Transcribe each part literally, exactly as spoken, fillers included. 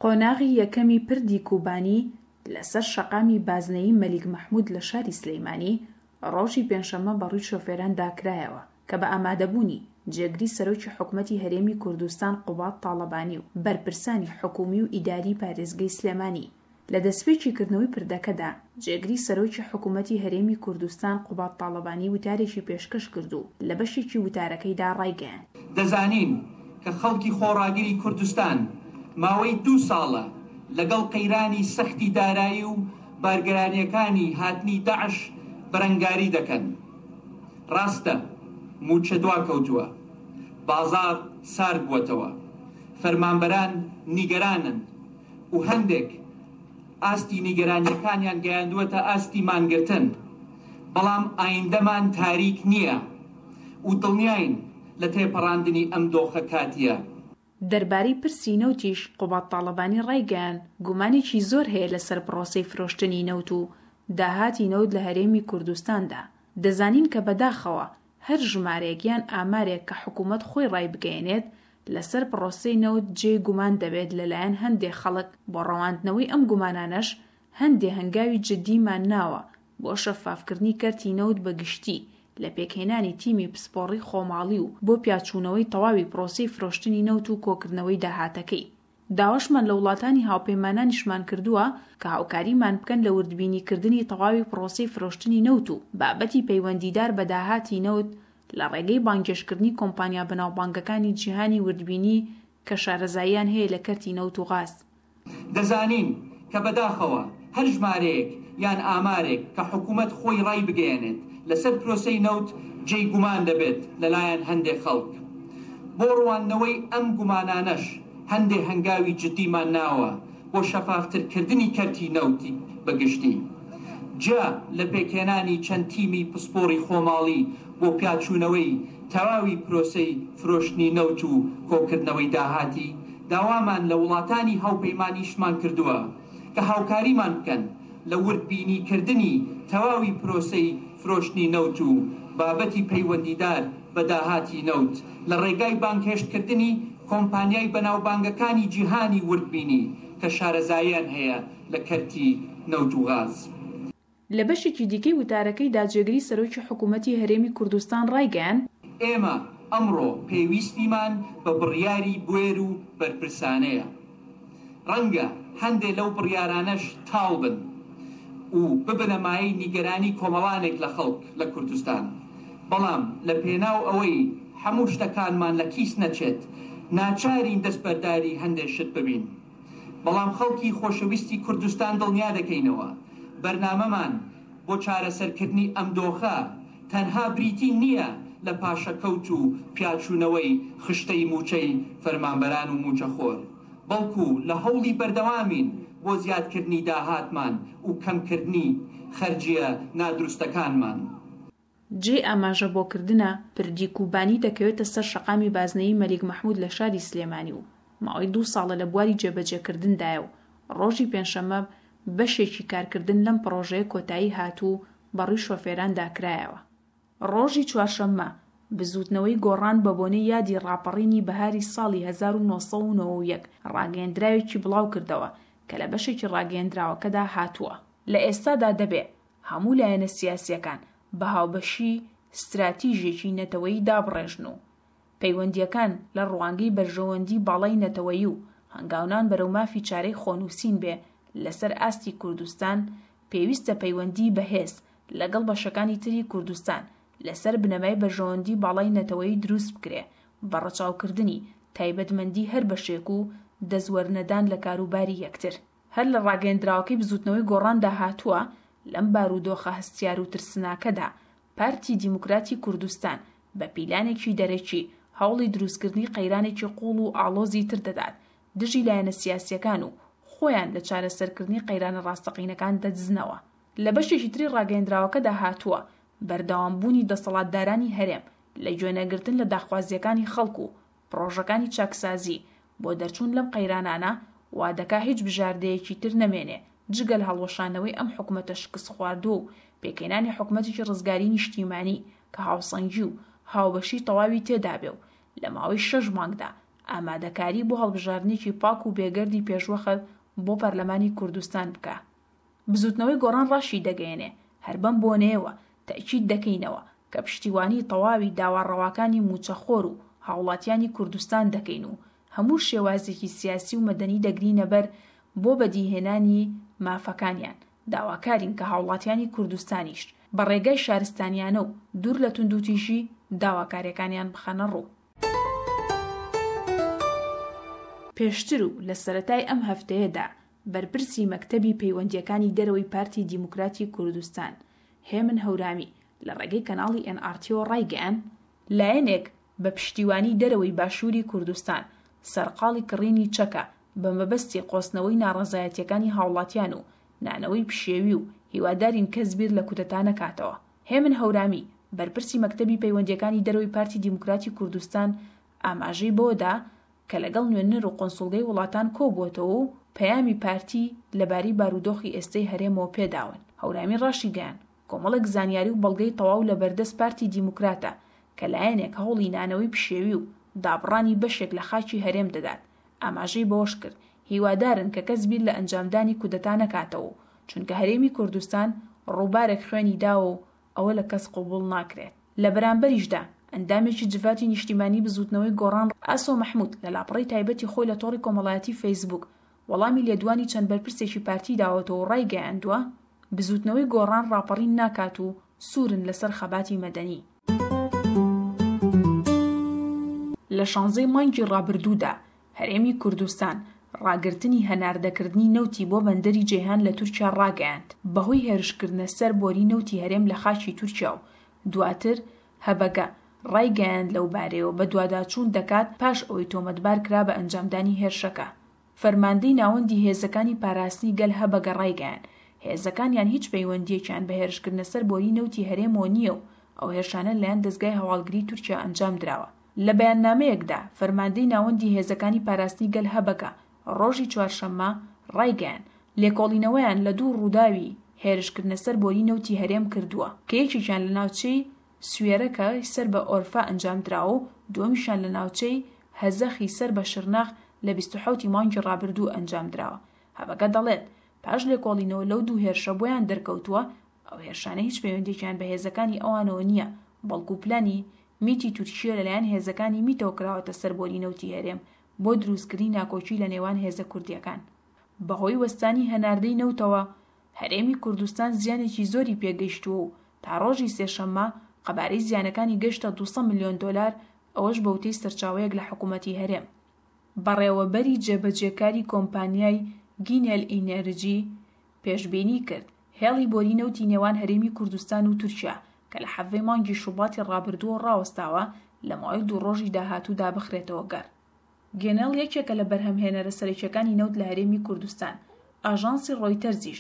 قۆناغی یەکەمی پردی کوبانی لەسەر شەقامی بازنەیی مەلیک مەحمود لە شاری سلیمانی ڕۆژی پێنجشەممە بەڕووی شۆفێراندا کرایەوە کە بە ئامادەبوونی جێگری سەرۆکی حکومەتی هەرێمی کوردستان قوباد تاڵەبانی و بەرپرسانی حکومی و ئیداری پارێزگەی سلێمانی. لە دەستپێکی کردنەوەی پردەکەدا جێگری سەرۆکی حکومەتی هەرێمی کوردستان قوباد تاڵەبانی وتارێکی پێشکەش کرد و لە بەشێکی وتارەکەیدا ڕایگەیاند: دەزانین کە خەڵکی خۆڕاگری کوردستان ماوەی دوو ساڵە لەگەڵ قەیرانی سەختی دارایی و بارگرانیەکانی هاتنی داعش بەرەنگاری دەکەن. ڕاستە موچە دواکەوتووە، بازاڕ سارد بووەتەوە، فەرمانبەران نیگەرانن و هەندێک ئاستی نیگەرانیەکانیان گەیاندووەتە ئاستی مانگرتن، بەڵام ئایندەمان تاریک نییە و دڵنیاین لە تێپەڕاندنی ئەم دۆخە کاتیە. دەربارەی پرسی نەوتیش قوباد تاڵەبانی ڕایگەیاند، گومانێکی زۆر هەیە لەسەر پرۆسەی فرۆشتنی نەوت و داهاتی نەوت لە هەرێمی کوردستاندا. دەزانین کە بەداخەوە هەر ژمارەیەک یان ئامارێک کە حکوومەت خۆی ڕایبگەیەنێت لەسەر پرۆسەی نەوت جێی گومان دەبێت لەلایەن هەندێک خەڵک. بۆ ڕەواندنەوەی ئەم گومانانەش هەندێ هەنگاوی جدیمان ناوە بۆ شەفافکردنی کەرتی نەوت بە گشتی لە پێکهێنانی تیمی پسپۆڕی خۆماڵی و بۆ پیاچوونەوەی تەواوی پرۆسەی فرۆشتنی نەوت و کۆکردنەوەی داهاتەکەی. داواشمان لە وڵاتانی هاوپەیمانانیشمان کردووە کە هاوکاریمان بکەن لە وردبینیکردنی تەواوی پرۆسەی فرۆشتنی نەوت و بابەتی پەیوەندیدار بە داهاتی نەوت لە ڕێگەی بانگێشتکردنی کۆمپانیا بەناوبانگەکانی جیهانی وردبینی کە شارەزاییان هەیە لە کەرتی نەوت و غاز. دەزانین کە بەداخەوە هەر ژمارەیەک یان ئامارێک کە حکوومەت خۆی ڕای بگەیەنێت لەسەر پرۆسەی نەوت جێی گومان دەبێت لەلایەن هەندێک خەڵک. بۆ ڕواندنەوەی ئەم گومانانەش هەندێک هەنگاوی جدیمان ناوە بۆ شەفافترکردنی کەرتی نەوتی بەگشتی، جیا لە پێکهێنانی چەند تیمی پسپۆڕی خۆماڵی بۆ پیاچوونەوەی تەواوی پرۆسەی فرۆشتنی نەوت و کۆکردنەوەی داهاتی. داوامان لە وڵاتانی هاوپەیمانیشمان کردووە کە هاوکاریمان بکەن لە وردبینیکردنی تەواوی پرۆسەی فرۆشتنی نەوت و بابەتی پەیوەندیدار بە داهاتی نەوت لە ڕێگای بانگهێشتکردنی کۆمپانیای بەناوبانگەکانی جیهانی وردبینی کە شارەزاییان هەیە لە کەرتی نەوت و غاز. لە بەشێکی دیکەی وتارەکەیدا جێگری سەرۆکی حکوومەتی هەرێمی کوردستان ڕایگەیاند: ئێمە ئەمڕۆ پێویستیمان بە بڕیاری بوێر و بەرپرسانەیە. ڕەنگە هەندێک لەو بڕیارانەش تاڵ بن و ببنە مایەی نیگەرانی کۆمەڵانێک لە خەڵک لە کوردستان، بەڵام لە پێناو ئەوەی هەموو شتەکانمان لە کیس نەچێت ناچارین دەستبەرداری هەندێک شت ببین. بەڵام خەڵکی خۆشەویستی کوردستان دڵنیا دەکەینەوە بەرنامەمان بۆ چارەسەرکردنی ئەم دۆخە تەنها بریتی نییە لە پاشەکەوت و پیاچوونەوەی خشتەی موچەی فەرمانبەران و موچەخۆر، بەڵکو لە هەوڵی بەردەوامین بۆ زیادکردنی داهاتمان و کەمکردنی خەرجیە نادروستەکانمان. جێی ئاماژە بۆکردنە پردی کوبانی دەکەوێتە سەر شەقامی بازنەیی مەلیک مەحمود لە شاری سلێمانی و ماوەی دوو ساڵە لە بواری جێبەجێکردندایە و ڕۆژی پێنجشەممە بەشێکی کارکردن لەم پڕۆژەیە کۆتایی هات و بەڕووی شۆفێراندا کرایەوە. ڕۆژی چوارشەممە بزووتنەوەی گۆڕان بە بۆنەی یادی ڕاپەڕینی بەهاری ساڵی هەزار و نۆ سەد و نەوەد و یەک ڕاگەیەندراوێکی بڵاو کردەوە کە لە بەشێکی ڕاگەیەندراوەکەدا هاتووە: لە ئێستادا دەبێ هەموو لایەنە سیاسیەکان بە هاوبەشی ستراتیژێکی نەتەوەیی دابڕێژن و پەیوەندیەکان لە ڕوانگەی بەرژەوەندی باڵای نەتەوەیی و هەنگاونان بەرەو مافی چارەی خۆنووسین بێ لەسەر ئاستی کوردستان. پێویستە پەیوەندی بەهێز لەگەڵ بەشەکانی تری کوردستان لەسەر بنەمای بەرژەوەندی باڵای نەتەوەیی دروست بکرێ بە ڕەچاوکردنی تایبەتمەندی هەر بەشێک و دەستوەرنەدان لە کاروباری یەکتر. هەر لە ڕاگەیەندراوەکەی بزووتنەوەی گۆڕاندا هاتووە: لەم بارودۆخە هەستیار و ترسناکەدا پارتی دیموکراتی کوردستان بە پیلانێکی دەرەکی هەوڵی دروستکردنی قەیرانێکی قوڵ و ئاڵۆزی تر دەدات دژی لایەنە سیاسیەکان و خۆیان لە چارەسەرکردنی قەیرانە ڕاستەقینەکان دەدزنەوە. لە بەشێکی تری ڕاگەیەندراوەکەدا هاتووە: بەردەوامبوونی دەسەڵاتدارانی هەرێم لە گوێنەگرتن لە داخوازیەکانی خەڵک و پرۆژەکانی چاکسازی بۆ دەرچوون لەم قەیرانانە وا دەکا هیچ بژاردەیەکی تر نەمێنێ جگە لە هەڵوەشانەوەی ئەم حکومەتە شکستخواردووە و پێکهێنانی حکومەتێکی ڕزگاری نیشتیمانی کە هاوسەنگی و هاوبەشی تەواوی تێدابێ و لە ماوەی شەش مانگدا ئامادەکاری بۆ هەڵبژاردنێکی پاک و بێگەردی پێشوەخت بۆ پەرلەمانی کوردستان بکا. بزوتنەوەی گۆڕان ڕاشی دەگەیەنێ، هەر بەم بۆنەیەوە تەئکید دەکەینەوە کە پشتیوانی تەواوی داوا ڕەواکانی مووچەخۆر و هاوڵاتیانی کوردستان دەکەین و هەموو شێوازێکی سیاسی و مەدەنی دەگرینەبەر بۆ بەدیهێنانی مافەکانیان، داواکارین کە هاوڵاتیانی کوردستانیش بە ڕێگای شارستانیانە و دوور لە توندوتیژی داواکاریەکانیان بخەنە ڕوو. پێشتر و لە سەرەتای ئەم هەفتەیەدا بەرپرسی مەکتەبی پەیوەندییەکانی دەرەوەی پارتی دیموکراتی کوردستان هێمن هەورامی لە ڕێگەی کەناڵی ئێن ئاڕ تیەوە ڕایگەیاند، لایەنێک بە پشتیوانی دەرەوەی باشووری کوردستان سەرقاڵی کڕینی چەکە بە مەبەستی قۆستنەوەی ناڕەزایەتیەکانی هاوڵاتیان و نانەوەی پشێوی و هیوادارین کەس بیر لە کودەتا نەکاتەوە. هێمن هەورامی، بەرپرسی مەکتەبی پەیوەندییەکانی دەرەوەی پارتی دیموکراتی کوردستان ئاماژەی بەوەدا کە لەگەڵ نوێنەر و قونسوڵگەی وڵاتان کۆبووەتەوە و پەیامی پارتی لەبارەی بارودۆخی ئێستەی هەرێمەوە پێداون. هەورامی ڕاشیگەیاند، کۆمەڵێک زانیاری و بەڵگەی تەواو لەبەردەست پارتی دیموکراتە کە لایەنێک هەوڵی نانەوەی پشێوی و دابڕانی بەشێک لە خاکی هەرێم دەدات. ئاماژەی بەوەشکرد، هیوادارن کە کەس بیر لە ئەنجامدانی کودەتا نەکاتەوە و چونکە هەرێمی کوردستان ڕووبارێک خوێنی داوە و ئەوە لە کەس قبوڵ ناکرێت. لە بەرامبەریشدا ئەندامێکی جڤاتی نیشتیمانی بزوتنەوەی گۆڕان ئاسۆ مەحمود لە لاپەڕەی تایبەتی خۆی لە تۆڕی کۆمەڵایەتی فەیسبوک وەڵامی لێدوانی چەند بەرپرسێکی پارتی داوەتەوە و ڕایگەیاندووە، بزوتنەوەی گۆڕان ڕاپەڕین ناکات و سوورن لەسەر خەباتی مەدەنی. لە شانزەی مانگی ڕابردوودا هەرێمی کوردستان ڕاگرتنی هەناردەکردنی نەوتی بۆ بەندەری جەیهان لە تورکیا ڕاگەیاند بەهۆی هێرشکردنە سەر بۆری نەوتی هەرێم لە خاکی تورکیا و دواتر هەبەگە ڕایگەیاند لەوبارەیەوە بەدواداچوون دەکات پاش ئەوەی تۆمەتبار کرا بە ئەنجامدانی هێرشەکە. فەرماندەی ناوەندی هێزەکانی پاراستنی گەل هەبەگە ڕایگەیاند هێزەکانیان هیچ پەیوەندییەکیان بە هێرشکردنە سەر بۆری نەوتی هەرێمەوە نییە و ئەو هێرشانە لەلایەن دەزگای هەواڵگری تورکیا ئەنجام دراوە. لە بەیاننامەیەکدا فەرماندەی ناوەندی هێزەکانی پاراستنی گەل هەبەگە ڕۆژی چوارشەممە ڕایگەیاند لێکۆڵینەوەیان لە دوو ڕووداوی هێرشکردنە سەر بۆری نەوتی هەرێم کردووە کە یەکێکیان لە ناوچەی سوێرەکە سەر بە ئۆرفا ئەنجام دراوە و دووەمیشیان لە ناوچەی هەزەخی سەر بە شرناخ لە بیست و حەوت ی مانگی ڕابردوو ئەنجام دراوە. هەبەگە دەڵێت پاش لێکۆڵینەوە لەو دوو هێرشە بۆیان دەرکەوتووە ئەو هێرشانە هیچ پەیوەندییەکیان بە هێزەکانی ئەوانەوە نییە، بەڵکو پلانی میتی تورکیە لەلایەن هێزەکانی میتەوە کراوەتە سەر بۆری نەوتی هەرێم بۆ دروستکردنی ناکۆکی لە نێوان هێزە کوردیەکان. بەهۆی وەستانی هەناردەی نەوتەوە هەرێمی کوردستان زیانێکی زۆری پێگەیشتووە و تا ڕۆژی سێشەممە قەبارەی زیانەکانی گەشتە دوو سەد ملیۆن دۆلار، ئەوەش بەوتەی سەرچاوەیەک لە حکوومەتی هەرێم. بەڕێوەبەری جێبەجێکاری کۆمپانیای گینێل ئینێرجی پێشبینی کرد هێڵی بۆری نەوتی نێوان هەرێمی کوردستان و تورکیا کە لە حەڤەی مانگی شوباتی ڕابردووە ڕاوەستاوە لە ماوەی دوو ڕۆژی داهاتوودا بخرێتەوە گەڕ. گێنێڵ یەکێکە لە بەرهەمهێنەرە سەرەکیەکانی نەوت لە هەرێمی کوردستان. ئاژانسی ڕۆیتەرزیش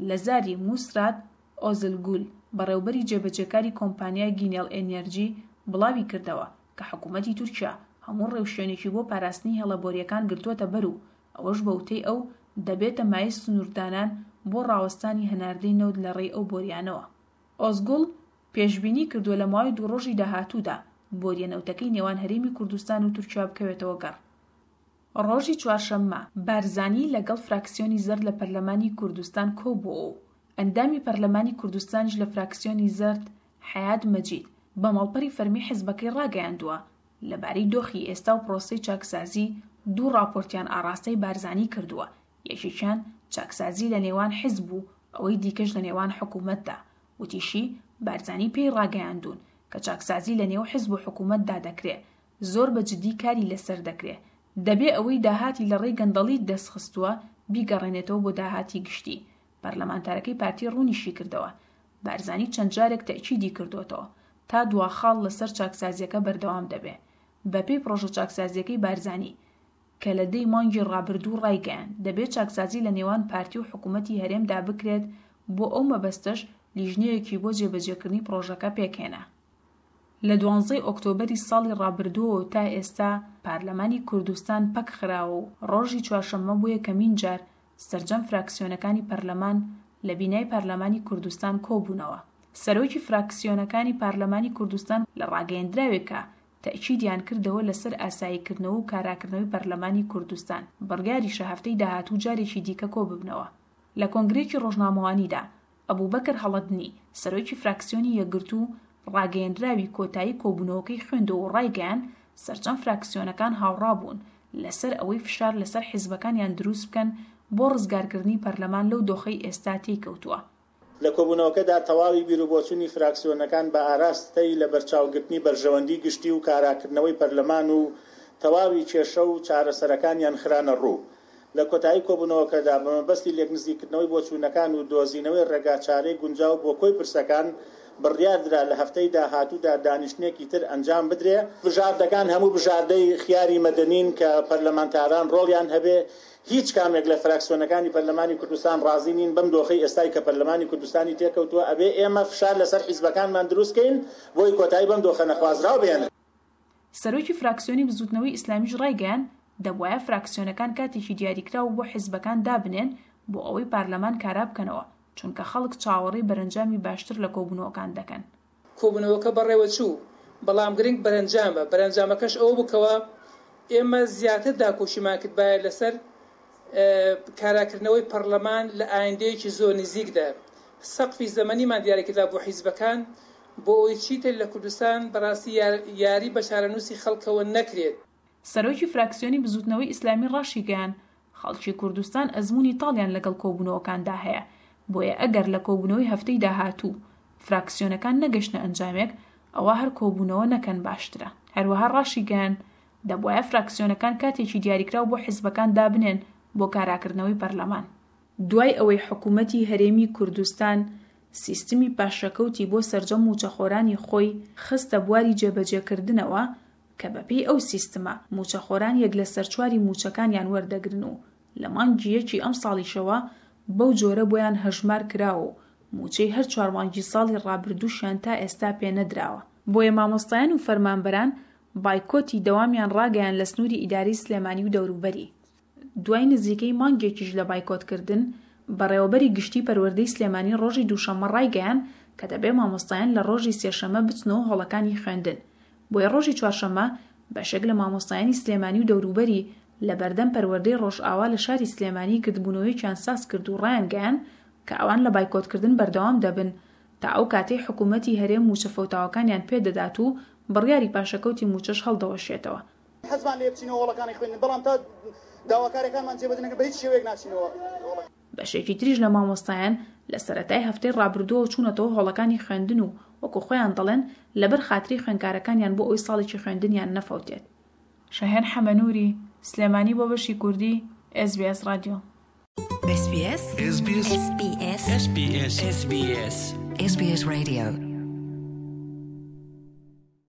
لە زاری موسرات ئۆزلگول بەڕێوبەری جێبەجێکاری کۆمپانیای گینێڵ ئێنێرجی بڵاوی کردەوە کە حکوومەتی تورکیا هەموو ڕێوشوێنێکی بۆ پاراستنی هێڵە بۆریەکان گرتووەتە بەر و ئەوەش بەوتەی ئەو دەبێتە مایەی سنووردانان بۆ ڕاوەستانی هەناردەی نەوت لە ڕێی ئەو بۆریانەوە. ئۆزگوڵ پێشبینی کردووە لە ماوەی دوو ڕۆژی داهاتوودا بۆریە نەوتەکەی نێوان هەرێمی کوردستان و تورکیا بکەوێتەوە گەڕ. ڕۆژی چوارشەممە بارزانی لەگەڵ فراکسیۆنی زەرد لە پەرلەمانی کوردستان کۆبووەوە و ئەندامی پەرلەمانی کوردستانیش لە فراکسیۆنی زەرد حەیات مەجید بە ماڵپەری فەرمی حزبەکەی ڕاگەیاندووە لەبارەی دۆخی ئێستا و پرۆسەی چاکسازی دوو ڕاپۆرتیان ئاڕاستەی بارزانی کردووە، یەکێکیان چاکسازی لە نێوان حزب و ئەوەی دیکەش لە نێوان حکوومەتدا. وتیشی بارزانی پێی ڕاگەیاندوون کە چاکسازی لە نێو حزب و حکوومەتدا دەکرێ، زۆر بە جدی کاری لەسەر دەکرێ، دەبێ ئەوەی داهاتی لە ڕێی گەندەڵی دەستخستووە بیگەڕێنێتەوە بۆ داهاتی گشتی. پەرلەمانتارەکەی پارتی ڕوونیشی کردەوە بارزانی چەند جارێک تەئکیدی کردووەتەوە تا دوا خاڵ لەسەر چاکسازیەکە بەردەوام دەبێ. بەپێی پرۆژە چاکسازیەکەی بارزانی کە لە دەی مانگی ڕابردوو ڕایگەیاند دەبێت چاکسازی لە نێوان پارتی و حکوومەتی هەرێمدا بکرێت، بۆ ئەو مەبەستەش لیژنەیەکی بۆ جێبەجێکردنی پرۆژەکە پێکهێنا. لە دوانزەی ئۆکتۆبەری ساڵی ڕابردووەوە تا ئێستا پارلەمانی کوردستان پەک خراوە و ڕۆژی چوارشەممە بۆ یەکەمین جار سەرجەم فراکسیۆنەکانی پەرلەمان لە بینای پەرلەمانی کوردستان کۆبوونەوە. سەرۆکی فراکسیۆنەکانی پارلەمانی کوردستان لە ڕاگەیەندراوێکا تەئکیدیان کردەوە لەسەر ئاساییکردنەوە و کاراکردنەوەی پەرلەمانی کوردستان. بڕیاریشە هەفتەی داهاتوو جارێکی دیکە کۆببنەوە. لە کۆنگرەیەکی ڕۆژنامەوانیدا ئەبوبەکر هەڵەدنی، سەرۆکی فراکسیۆنی یەکگرتوو، ڕاگەیەندراوی کۆتایی کۆبوونەوەکەی خوێندەوە و ڕایگەیاند سەرجەم فراکسیۆنەکان هاوڕابوون لەسەر ئەوەی فشار لەسەر حیزبەکانیان دروست بکەن بۆ ڕزگارکردنی پەرلەمان لەو دۆخەی ئێستا تێیکەوتووە. لە کۆبوونەوەکەدا تەواوی بیروبۆچوونی فراکسیۆنەکان بە ئاراستەی لەبەرچاوگرتنی بەرژەوەندی گشتی و کاراکردنەوەی پەرلەمان و تەواوی کێشە و چارەسەرەکانیان خرانە ڕوو. لە کۆتایی کۆبوونەوەکەدا بە مەبەستی لێکنزیکردنەوەی بۆچوونەکان و دۆزینەوەی ڕێگاچارەی گونجاو بۆ کۆی پرسەکان، بڕیاردرا لە هەفتەی داهاتوودا دانیشتنێکی تر ئەنجام بدرێ. بژاردەکان هەموو بژاردەی خیاری مەدەنین کە پەرلەمانتاران ڕۆڵیان هەبێ. هیچ کامێک لە فراکسیۆنەکانی پەرلەمانی کوردستان ڕازی نین بەم دۆخەی ئێستای کە پەرلەمانی کوردستانی تێکەوتووە. ئەبێ ئێمە فشار لەسەر حیزبەکانمان دروستکەین بۆی کۆتایی بەم دۆخە نەخوازراو بێنن. سەرۆکی فراکسیۆنی بزوتنەوەی ئیسلامیش ڕایگەیاند دەبوایە فراکسیۆنەکان کاتێکی دیاریکراو بۆ حیزبەکان دابنێن بۆ ئەوەی پەرلەمان کارا بکەنەوە، چونکە خەڵک چاوەڕێی بەرەنجامی باشتر لە کۆبوونەوەکان دەکەن. کۆبوونەوەکە بەڕێوە چوو، بەڵام گرنگ بەرەنجامە. بەرەنجامەکەش ئەوە بکەوە ئێمە زیاتر داکۆشیمان کردبایە لەسەر کاراکردنەوەی پەرلەمان لە ئایندەیەکی زۆر نزیکدا. سەقفی زەمەنیمان دیاریکردا بۆ حیزبەکان بۆ ئەوەی چیتر لە کوردستان بەڕاستی یاری بە چارەنووسی خەڵکەوە نەکرێت. سەرۆکی فراکسیۆنی بزوتنەوەی ئیسلامی ڕاشیگەیاند خەڵکی کوردستان ئەزموونی تاڵیان لەگەڵ کۆبوونەوەکاندا هەیە، بۆیە ئەگەر لە کۆبوونەوەی هەفتەی داهاتوو فراکسیۆنەکان نەگەشتنە ئەنجامێک، ئەوە هەر کۆبوونەوە نەکەن باشترە. هەروەها ڕاشیگەیاند دەبوایە فراکسیۆنەکان کاتێکی دیاریکراو بۆ حیزبەکان دابنێن بۆ کاراکردنەوەی پەرلەمان. دوای ئەوەی حکوومەتی هەرێمی کوردستان سیستمی پاشەکەوتی بۆ سەرجەم موچەخۆرانی خۆی خستە بواری جێبەجێکردنەوە کە بەپێی ئەو سیستمە موچەخۆران یەک لەسەر چواری موچەکانیان وەردەگرن و لە مانگی یەکی ئەم ساڵیشەوە بەو جۆرە بۆیان هەژمار کراوە و موچەی هەر چوار مانگی ساڵی ڕابردووشیان تا ئێستا پێ نەدراوە. بۆیە مامۆستایان و فەرمانبەران بایکۆتی دەوامیان ڕاگەیان لە سنووری ئیداری سلێمانی و دەوروبەری. دوای نزیکەی مانگێکیش لە بایکۆتکردن، بەڕێوەبەری گشتی پەروەردەی سلێمانی ڕۆژی دووشەممە ڕایگەیان کە دەبێ مامۆستایان لە ڕۆژی سێشەممە بچنەوە هۆڵەکانی خوێندن. بۆیە ڕۆژی چوارشەممە بەشێک لە مامۆستایانی سلێمانی و دەوروبەری لە بەردەم پەروەردەی ڕۆژئاوا لە شاری سلێمانی گردبوونەوەیەکیان ساز کرد و ڕایانگەیان کە ئەوان لە بایکۆتکردن بەردەوام دەبن تا ئەو کاتەی حکوومەتی هەرێم موچە فەوتاوەکانیان پێدەدات و بڕیاری پاشەکەوتی موچەش هەڵدەوەشێتەوە. حەزمان لێ بچینەوە هۆڵەکانی خوێندن، بەڵام تا داواکاریەکانمان جێبەجێ نەکەن بە هیچ شێوەیەک ناچینەوە. بەشێکی تریش لە مامۆستایان لە سەرەتای هەفتەی ڕابردووەوە چوونەتەوە هۆڵەکانی خوێندن و وەکو خۆیان دەڵێن لەبەر خاتری خوێندکارەکانیان بۆ ئەوەی ساڵێکی خوێندنیان نەفەوتێت. شەهێن حەمەنووری، سلێمانی بۆ بەشی کوردی، S B S ڕادیۆ. S B S S B S S B S S B S S B S S B S Radio.